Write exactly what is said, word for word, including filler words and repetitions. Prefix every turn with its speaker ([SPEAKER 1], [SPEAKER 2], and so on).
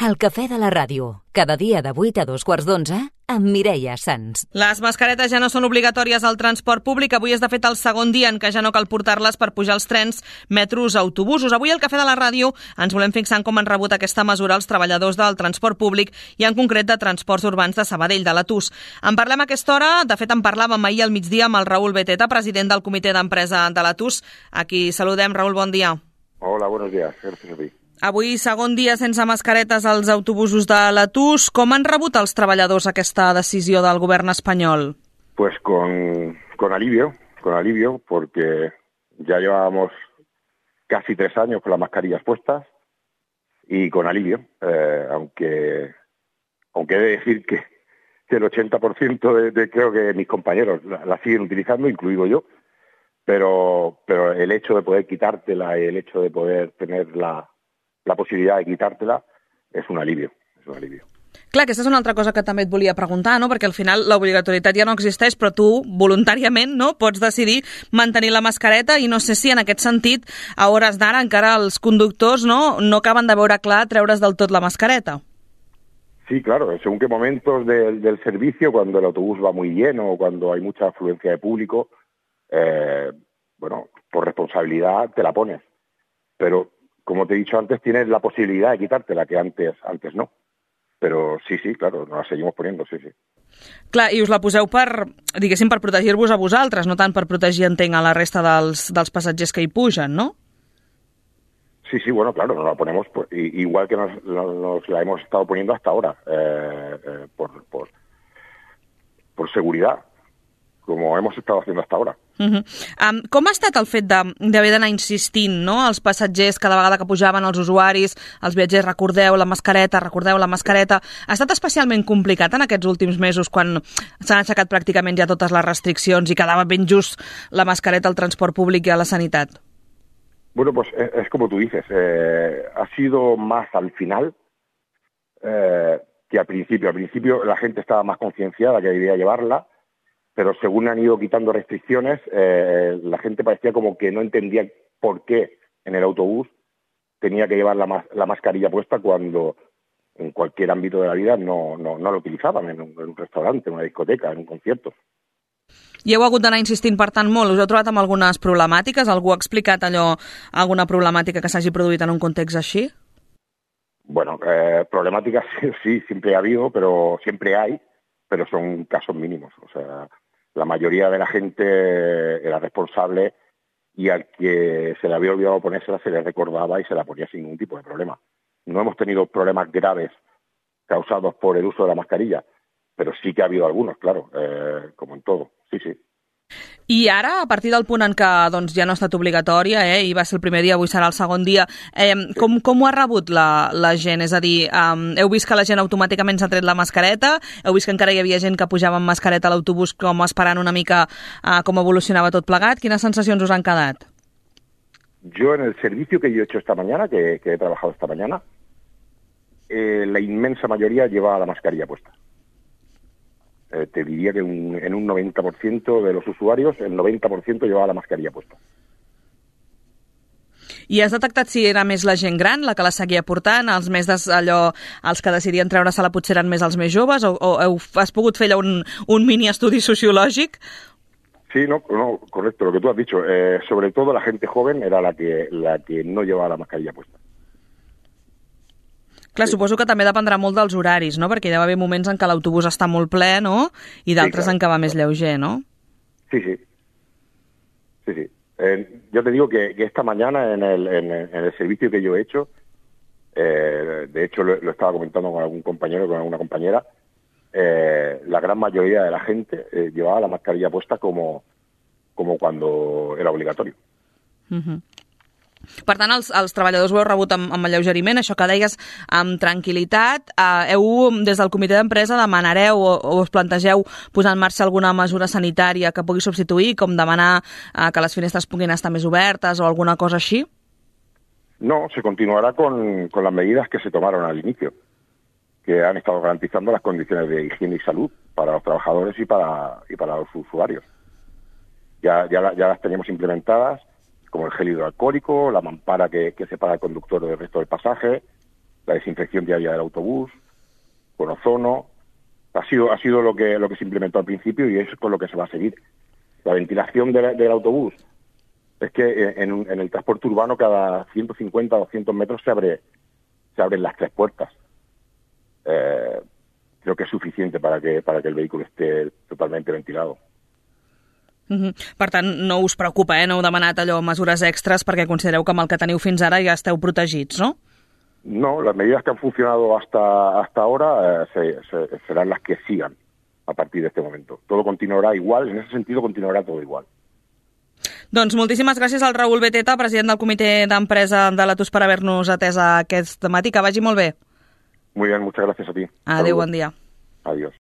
[SPEAKER 1] El cafè de la ràdio, cada dia de vuit a dos quarts d'onze, amb Mireia Sans.
[SPEAKER 2] Les mascaretes ja no són obligatòries al transport públic. Avui és, de fet, el segon dia en què ja no cal portar-les per pujar als trens, metros, autobusos. Avui al cafè de la ràdio ens volem fixar en com han rebut aquesta mesura els treballadors del transport públic i en concret de transports urbans de Sabadell, de l'A T U S. En parlem a aquesta hora. De fet, en parlàvem ahir al migdia amb el Raül Beteta, president del comitè d'empresa de l'A T U S. Aquí saludem. Raül, bon dia.
[SPEAKER 3] Hola, buenos días. Gràcies a ti.
[SPEAKER 2] Avui, segon dia sense mascaretes als autobusos de l'A T U S. Com han rebut els treballadors aquesta decisió del govern espanyol?
[SPEAKER 3] Pues con, con alivio, con alivio, porque ya llevábamos casi tres años con las mascarillas puestas y con alivio, eh, aunque, aunque he de decir que, que el ochenta por ciento de, de creo que mis compañeros la, la siguen utilizando, incluido yo, pero, pero el hecho de poder quitártela y el hecho de poder tener la la possibilitat de quitar-te-la és un alivio, és un alivio.
[SPEAKER 2] Clar, aquesta és una altra cosa que també et volia preguntar, no? Perquè al final l'obligatorietat ja no existeix, però tu voluntàriament no pots decidir mantenir la mascareta i no sé si en aquest sentit a hores d'ara encara els conductors no, no acaben de veure clar treure's del tot la mascareta.
[SPEAKER 3] Sí, claro, según qué momentos del, del servicio, cuando el autobús va muy lleno o cuando hay mucha afluencia de público, eh, bueno, por responsabilidad te la pones, pero como te he dicho antes, tienes la posibilidad de quitártela, que antes antes no. Però sí, sí, claro, nos la seguimos poniendo, sí, sí.
[SPEAKER 2] Clar, i us la poseu per, diguéssim, per protegir-vos a vosaltres, no tant per protegir, entenc, a la resta dels, dels passatgers que hi pugen, ¿no?
[SPEAKER 3] Sí, sí, bueno, claro, nos la ponemos pues, igual que nos, nos la hemos estado poniendo hasta ahora, eh, eh, por, por, por seguridad, com hemos estado haciendo hasta ahora.
[SPEAKER 2] Uh-huh. Um, com ha estat el fet d'haver d'anar insistint, no?, els passatgers cada vegada que pujaven, els usuaris, els viatgers, recordeu la mascareta, recordeu la mascareta. Ha estat especialment complicat en aquests últims mesos quan s'han aixecat pràcticament ja totes les restriccions i quedava ben just la mascareta al transport públic i a la sanitat?
[SPEAKER 3] Bueno, pues es, es como tú dices, eh, ha sido más al final eh, que al principio. Al principio la gente estaba más concienciada que debía llevarla, pero según han ido quitando restricciones, eh, la gente parecía como que no entendía por qué en el autobús tenía que llevar la, mas la mascarilla puesta cuando en cualquier ámbito de la vida no, no, no la utilizaban, en un, en un restaurante, en una discoteca, en un concierto.
[SPEAKER 2] I heu hagut d'anar insistint, per tant, molt. Us heu trobat amb algunes problemàtiques? Algú ha explicat allò, alguna problemàtica que s'hagi produït en un context així?
[SPEAKER 3] Bueno, eh, problemáticas sí, siempre ha habido, pero siempre hay, pero son casos mínimos, o sea... La mayoría de la gente era responsable y al que se le había olvidado ponérsela se le recordaba y se la ponía sin ningún tipo de problema. No hemos tenido problemas graves causados por el uso de la mascarilla, pero sí que ha habido algunos, claro, eh, como en todo, sí, sí.
[SPEAKER 2] I ara, a partir del punt en què doncs, ja no ha estat obligatòria, eh, i va ser el primer dia, avui serà el segon dia, eh, com, com ho ha rebut la, la gent? És a dir, um, heu vist que la gent automàticament s'ha tret la mascareta? Heu vist que encara hi havia gent que pujava amb mascareta a l'autobús com esperant una mica uh, com evolucionava tot plegat? Quines sensacions us han quedat?
[SPEAKER 3] Yo en el servicio que yo he hecho esta mañana, que, que he trabajado esta mañana, eh, la inmensa mayoría lleva la mascarilla puesta. Eh, te diría que un, en un noventa por ciento de los usuarios, el noventa por ciento llevaba la mascarilla puesta.
[SPEAKER 2] I has detectat si era més la gent gran la que la seguia portant, els més des, allò, els que decidien treure-se-la potser eren més els més joves, o, o heu, has pogut fer allò un, un mini estudi sociològic?
[SPEAKER 3] Sí, no, no, correcto, lo que tú has dicho. Eh, sobre todo la gente joven era la que, la que no llevaba la mascarilla puesta.
[SPEAKER 2] Clar, sí. Suposo que també dependrà molt dels horaris, no? Perquè hi va haver moments en què l'autobús està molt ple, no? I d'altres sí, claro, en què va més lleuger, ¿no?
[SPEAKER 3] Sí, sí. Sí, sí. Eh, yo te digo que, que esta mañana en el, en, en el servicio que yo he hecho, eh, de hecho lo, lo estaba comentando con algún compañero, con alguna compañera, eh, la gran mayoría de la gente eh, llevaba la mascarilla puesta como, como cuando era obligatorio.
[SPEAKER 2] Uh-huh. Per tant, els, els treballadors ho heu rebut amb, amb alleugeriment, això que deies, amb tranquil·litat. Eh, heu, des del comitè d'empresa, demanareu o, o us plantegeu posar en marxa alguna mesura sanitària que pugui substituir, com demanar eh, que les finestres puguin estar més obertes o alguna cosa així?
[SPEAKER 3] No, se continuará con, con las medidas que se tomaron al inicio, que han estado garantizando las condiciones de higiene y salud para los trabajadores y para, y para los usuarios. Ya, ya, ya las teníamos implementadas, como el gel hidroalcohólico, la mampara que, que separa al conductor del resto del pasaje, la desinfección diaria del autobús, con ozono. Ha sido, ha sido lo que, lo que se implementó al principio y es con lo que se va a seguir. La ventilación de la, del autobús es que en, en el transporte urbano cada ciento cincuenta, doscientos metros se abre, se abren las tres puertas. Eh, creo que es suficiente para que, para que el vehículo esté totalmente ventilado.
[SPEAKER 2] Uh-huh. Per tant, no us preocupa, eh? No heu demanat allò mesures extres perquè considereu que amb el que teniu fins ara ja esteu protegits, ¿no?
[SPEAKER 3] No, las medidas que han funcionado hasta, hasta ahora eh, se, se, serán las que sigan a partir de este momento. Todo continuará igual, en ese sentido continuará todo igual.
[SPEAKER 2] Doncs moltíssimes gràcies al Raül Beteta, president del comitè d'empresa de l'Atus, per haver-nos atès a aquest matí. Que vagi molt bé.
[SPEAKER 3] Muy bien, muchas gracias a ti.
[SPEAKER 2] Adéu, bon dia.
[SPEAKER 3] Adiós.